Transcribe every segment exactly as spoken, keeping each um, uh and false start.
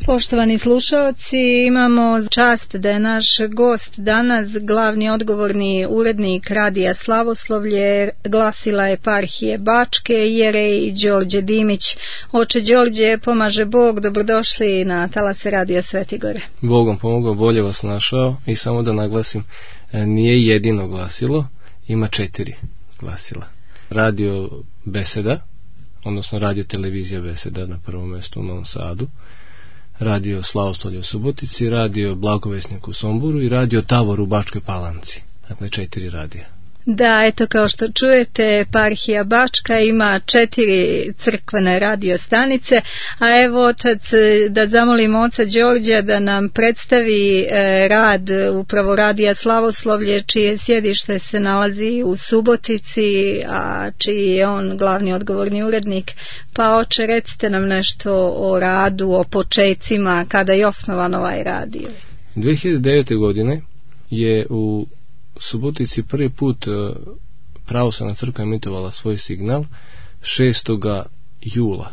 Poštovani slušalci, imamo čast da je naš gost danas glavni odgovorni urednik Radija Slavoslavlje, glasila eparhije Bačke, jerej Đorđe Dimić. Oče Đorđe, pomaže Bog, dobrodošli na talase Radija Svete Gore. Bogom pomogao, bolje vas našao i samo da naglasim, nije jedino glasilo, ima četiri glasila. Radio Beseda, odnosno radio televizija Beseda na prvom mjestu u Novom Sadu, radio Slavoslavlje u Subotici, radio Blagovesnik u Somboru i radio Tavor u Bačkoj Palanci. Dakle, četiri radija. Da, eto kao što čujete, eparhija Bačka ima četiri crkvene radio stanice, a evo otac, da zamolim oca Đorđa da nam predstavi e, rad upravo Radija Slavoslavlje, čije sjedište se nalazi u Subotici, a čiji je on glavni odgovorni urednik. Pa oče, recite nam nešto o radu, o počecima, kada je osnovan ovaj radio. dvije hiljade devete. godine je u Subotici prvi put pravoslavna crkva emitovala svoj signal šestog jula.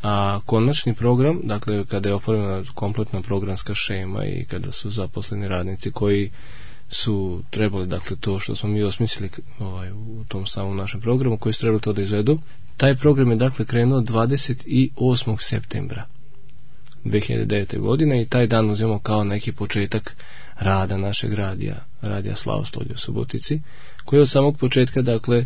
A konačni program, dakle kada je oformljena kompletna programska šema i kada su zaposleni radnici koji su trebali, dakle to što smo mi osmislili ovaj, u tom samom našem programu, koji su trebali to da izvedu, taj program je dakle krenuo dvadeset osmog septembra dvije hiljade devete. godine i taj dan uzmemo kao neki početak rada našeg radija, Radija Slavoslavlje u Subotici, koji je od samog početka, dakle,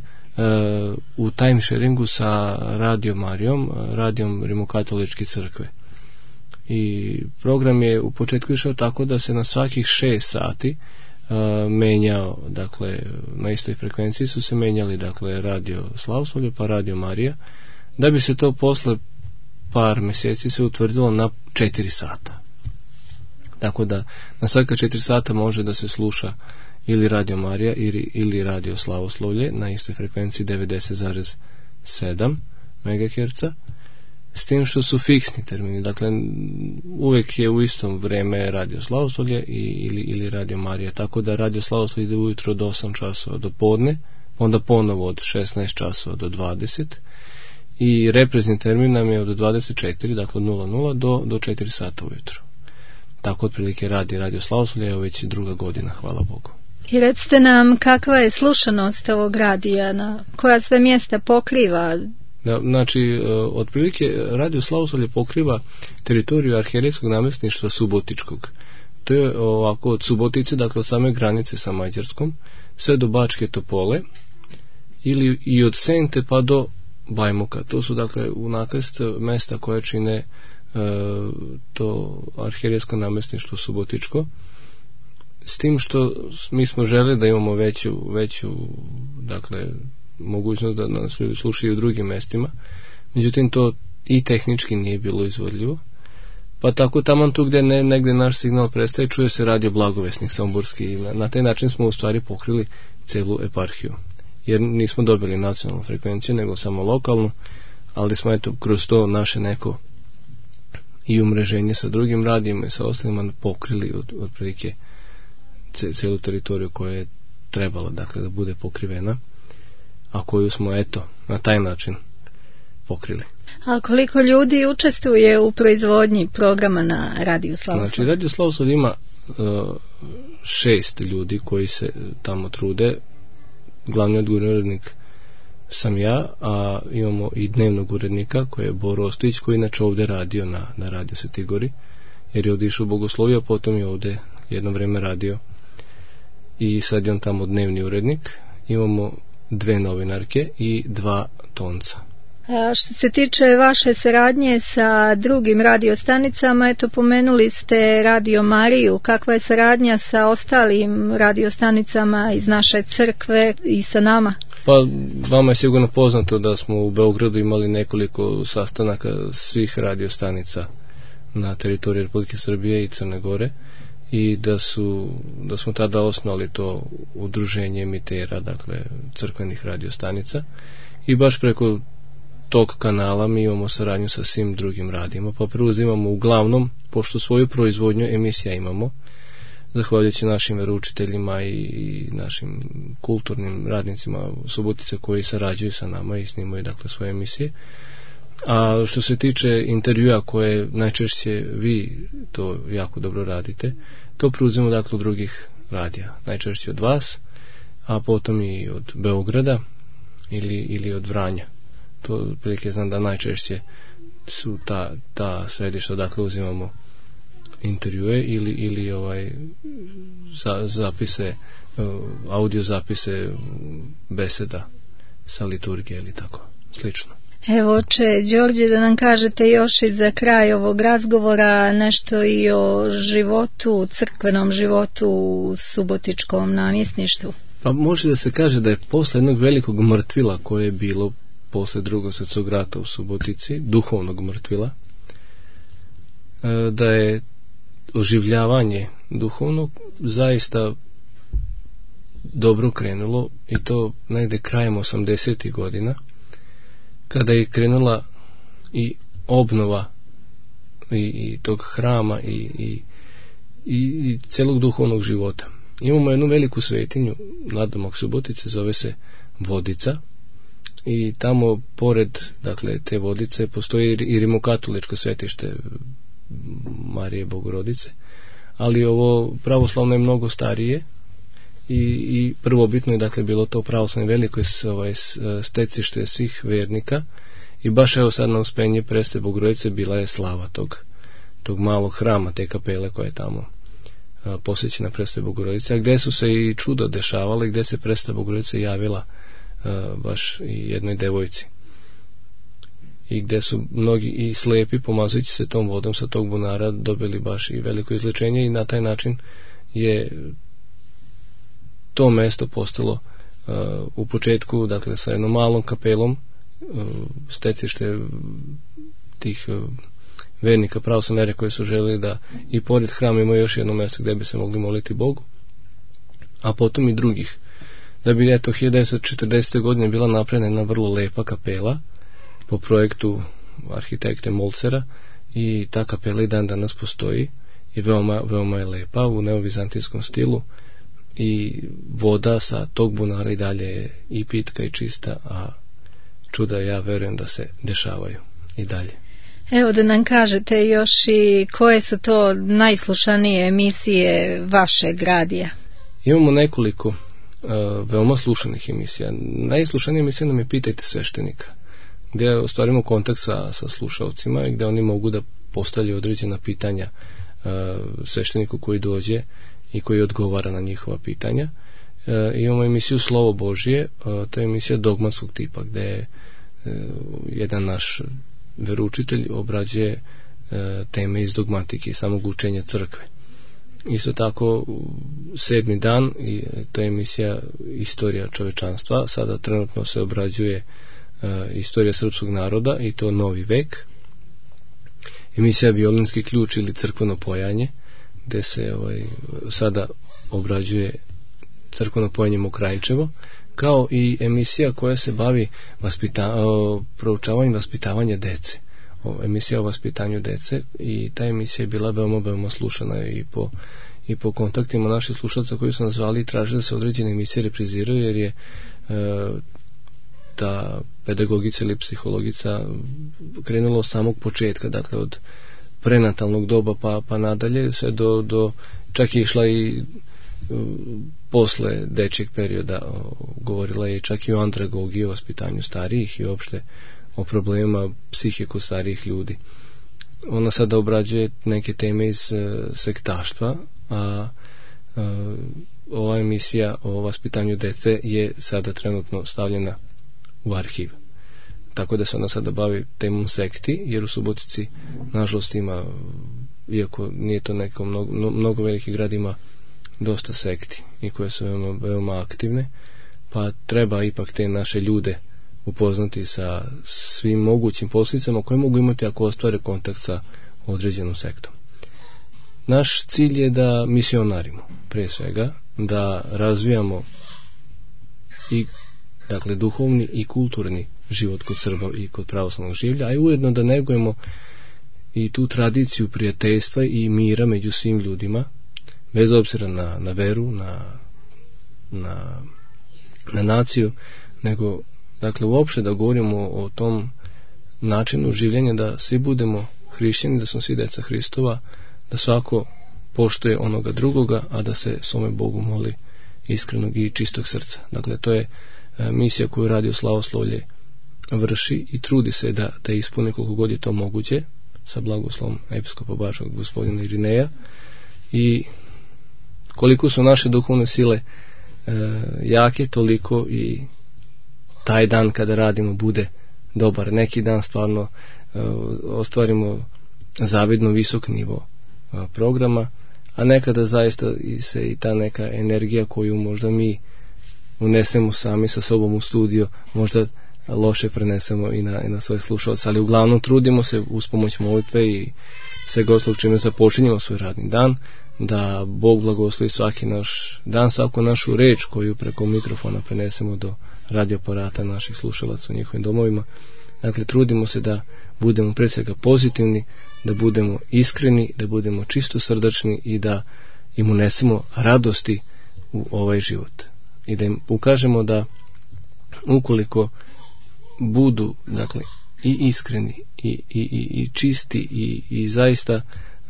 u time sharingu sa Radio Marijom, radijom Rimokatoličke crkve. I program je u početku išao tako da se na svakih šest sati menjao, dakle, na istoj frekvenciji su se menjali, dakle, Radio Slavoslavlje pa Radio Marija, da bi se to posle par mjeseci se utvrdilo na četiri sata. Tako da na svaka četiri sata može da se sluša ili Radio Marija ili, ili Radio Slavoslavlje na istoj frekvenciji devedeset zarez sedam megaherca, s tim što su fiksni termini. Dakle, uvijek je u istom vreme Radio Slavoslavlje i, ili, ili Radio Marija. Tako da Radio Slavoslavlje ide ujutro od osam časova do podne, onda ponovo od šesnaest časova do dvadeset i reprezni termin nam je od dvadeset četiri, dakle od nula nula do, do četiri sata ujutro. Tako otprilike radi Radio Slavoslavlje, evo već druga godina, hvala Bogu. I recite nam kakva je slušanost ovog radija, na koja sve mjesta pokriva? Da, znači, otprilike Radio Slavoslavlje pokriva teritoriju arhijerejskog namjesništva Subotičkog. To je ovako od Subotice, dakle od same granice sa Mađarskom, sve do Bačke Topole, ili i od Sente pa do Bajmoka. To su dakle u nakrst mesta koje čine e, to arhijerejsko namjesništvo Subotičko, s tim što mi smo želeli da imamo veću, veću dakle mogućnost da nas ljudi slušaju u drugim mestima, međutim to i tehnički nije bilo izvodljivo, pa tako taman tu gdje ne, negdje naš signal prestaje, čuje se Radio Blagovesnik somborski i na, na taj način smo u stvari pokrili celu eparhiju, jer nismo dobili nacionalnu frekvenciju nego samo lokalnu, ali smo eto kroz to naše neko i umreženje sa drugim radijima i sa ostalima pokrili od, od prilike celu teritoriju koja je trebala, dakle, da bude pokrivena, a koju smo eto na taj način pokrili. A koliko ljudi učestvuje u proizvodnji programa na Radiju Slavoslavlje? Znači, Radio Slavoslavlje ima uh, šest ljudi koji se tamo trude. Glavni odgovorni urednik sam ja, a imamo i dnevnog urednika koji je Boro Ostojić, koji inače ovdje radio na, na Radio Svetoj Gori, jer je ovdje išao u Bogosloviju, a potom je ovdje jedno vrijeme radio i sad je on tamo dnevni urednik. Imamo dve novinarke i dva tonca. A što se tiče vaše saradnje sa drugim radiostanicama, eto pomenuli ste Radio Mariju, kakva je saradnja sa ostalim radiostanicama iz naše crkve i sa nama? Pa vama je sigurno poznato da smo u Beogradu imali nekoliko sastanaka svih radiostanica na teritoriji Republike Srbije i Crne Gore i da su da smo tada osnovali to udruženje emitera, dakle crkvenih radiostanica, i baš preko tog kanala mi imamo saradnju sa svim drugim radijima, pa preuzimamo uglavnom, pošto svoju proizvodnju emisija imamo, zahvaljujući našim veroučiteljima i našim kulturnim radnicima Subotice koji sarađuju sa nama i snimaju dakle svoje emisije, A što se tiče intervjua koje najčešće vi to jako dobro radite, to preuzimo dakle od drugih radija, najčešće od vas, a potom i od Beograda ili, ili od Vranja. To prilike znam da najčešće su ta, ta središta, dakle uzimamo intervjue ili, ili ovaj za, zapise, audio zapise beseda sa liturgije ili tako slično. Evo, oče Đorđe, da nam kažete još i za kraj ovog razgovora nešto i o životu, crkvenom životu u subotičkom namjesništvu. Pa može da se kaže da je posle jednog velikog mrtvila koje je bilo posle drugog svjetskog rata u Subotici, duhovnog mrtvila, da je oživljavanje duhovnog zaista dobro krenulo, i to negde krajem osamdesetih godina, kada je krenula i obnova i, i tog hrama i, i, i, i celog duhovnog života. Imamo jednu veliku svetinju nadomak Subotice, zove se Vodica, i tamo pored, dakle, te Vodice postoji i rimokatoličko svetište Marije Bogorodice, ali ovo pravoslavno je mnogo starije i, i prvobitno je, dakle, bilo to pravoslavno veliko ovaj, stecište svih vernika, i baš evo sad na uspenje Presve Bogorodice bila je slava tog, tog malog hrama, te kapele koja je tamo a, posvećena Presve Bogorodice, a gde su se i čudo dešavale, gde se Presva Bogorodica javila a, baš i jednoj devojci, i gde su mnogi i slepi, pomazujući se tom vodom sa tog bunara, dobili baš i veliko izlečenje, i na taj način je to mesto postalo uh, u početku, dakle, sa jednom malom kapelom, uh, stecište tih uh, vernika pravoslavne vere koje su želeli da i pored hrama imaju još jedno mesto gde bi se mogli moliti Bogu, a potom i drugih, da bi eto hiljadu devetsto četrdesete godine bila napravljena jedna vrlo lepa kapela po projektu arhitekte Molcera, i ta kapela i dan danas postoji i veoma, veoma je lepa u neovizantijskom stilu, i voda sa tog bunara i dalje je i pitka i čista, a čuda ja verujem da se dešavaju i dalje. Evo, da nam kažete još i koje su to najslušanije emisije vašeg radija? Imamo nekoliko uh, veoma slušanih emisija. Najslušanija emisija nam je Pitajte sveštenika, gdje ostvarimo kontakt sa, sa slušalcima i gdje oni mogu da postavljaju određena pitanja uh, svešteniku koji dođe i koji odgovara na njihova pitanja. Uh, imamo emisiju Slovo Božije, uh, to je emisija dogmatskog tipa, gdje je uh, jedan naš veroučitelj obrađuje uh, teme iz dogmatike i samog učenja crkve. Isto tako sedmi dan, i to je emisija Istorija čovečanstva, sada trenutno se obrađuje Uh, istorija srpskog naroda, i to Novi vek. Emisija Violinski ključ ili crkveno pojanje, gde se ovaj, sada obrađuje crkveno pojanje Mokrajčevo, kao i emisija koja se bavi vaspita, o, proučavanjem vaspitavanja dece, o, emisija o vaspitanju dece, i ta emisija je bila veoma, veoma slušana i po, i po kontaktima naših slušalca koji su nas zvali i tražili da se određene emisije repriziraju, jer je uh, ta pedagogica ili psihologica krenula od samog početka, dakle od prenatalnog doba pa, pa nadalje, sve do, do čak je išla i uh, posle dečjeg perioda, uh, govorila je čak i o andragogiji, o vaspitanju starijih i uopšte o problemima psihike kod starijih ljudi. Ona sada obrađuje neke teme iz uh, sektaštva, a uh, ova emisija o vaspitanju dece je sada trenutno stavljena u arhiv. Tako da se ona sada bavi temom sekti, jer u Subotici nažalost ima, iako nije to neko mnogo, mnogo veliki grad, ima dosta sekti i koje su veoma, veoma aktivne, pa treba ipak te naše ljude upoznati sa svim mogućim posljedicama koje mogu imati ako ostvare kontakt sa određenom sektom. Naš cilj je da misionarimo, pre svega, da razvijamo i, dakle, duhovni i kulturni život kod Srba i kod pravoslavnog življa, a i ujedno da negujemo i tu tradiciju prijateljstva i mira među svim ljudima, bez obzira na, na veru, na, na, na naciju, nego, dakle, uopšte da govorimo o tom načinu življenja da svi budemo hrišćani, da smo svi deca Hristova, da svako poštuje onoga drugoga, a da se svome Bogu moli iskrenog i čistog srca. Dakle, to je misija koju Radio Slavoslavlje vrši i trudi se da, da ispuni koliko god je to moguće sa blagoslovom episkopa Bačkog gospodina Irineja. I koliko su naše duhovne sile e, jake, toliko i taj dan kada radimo bude dobar. Neki dan stvarno e, ostvarimo zavidno visok nivo e, programa, a nekada zaista i se i ta neka energija koju možda mi unesemo sami sa sobom u studio, možda loše prenesemo i na, i na svoje slušalce, ali uglavnom trudimo se uz pomoć molitve i svega ostalog čime započinjemo svoj radni dan, da Bog blagoslovi svaki naš dan, svaku našu reč koju preko mikrofona prenesemo do radioaparata naših slušalaca u njihovim domovima. Dakle, trudimo se da budemo prije svega pozitivni, da budemo iskreni, da budemo čisto srdačni i da im unesemo radosti u ovaj život. I da im ukažemo da ukoliko budu, dakle, i iskreni i, i, i, i čisti i, i zaista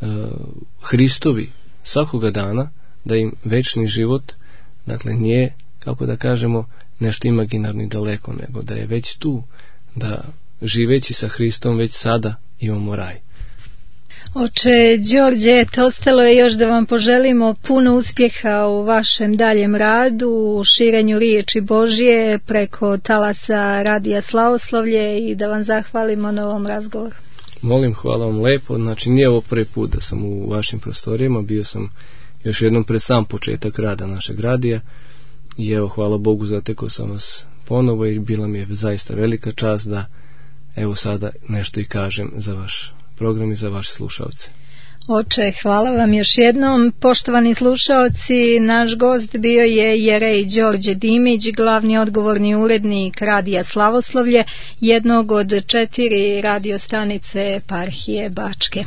uh, Hristovi svakoga dana, da im večni život, dakle, nije, kako da kažemo, nešto imaginarno i daleko, nego da je već tu, da živeći sa Hristom već sada imamo raj. Oče Đorđe, eto, ostalo je još da vam poželimo puno uspjeha u vašem daljem radu, u širenju riječi Božje preko talasa Radija Slavoslavlje i da vam zahvalimo na ovom razgovoru. Molim, hvala vam lepo. Znači, nije ovo prvi put da sam u vašim prostorijama, bio sam još jednom pred sam početak rada našeg radija i evo, hvala Bogu, zatekao sam vas ponovo i bila mi je zaista velika čast da evo sada nešto i kažem za vaš program i za vaše slušalce. Oče, hvala vam još jednom. Poštovani slušalci, naš gost bio je jerej Đorđe Dimić, glavni odgovorni urednik Radija Slavoslavlje, jednog od četiri radio stanice eparhije Bačke.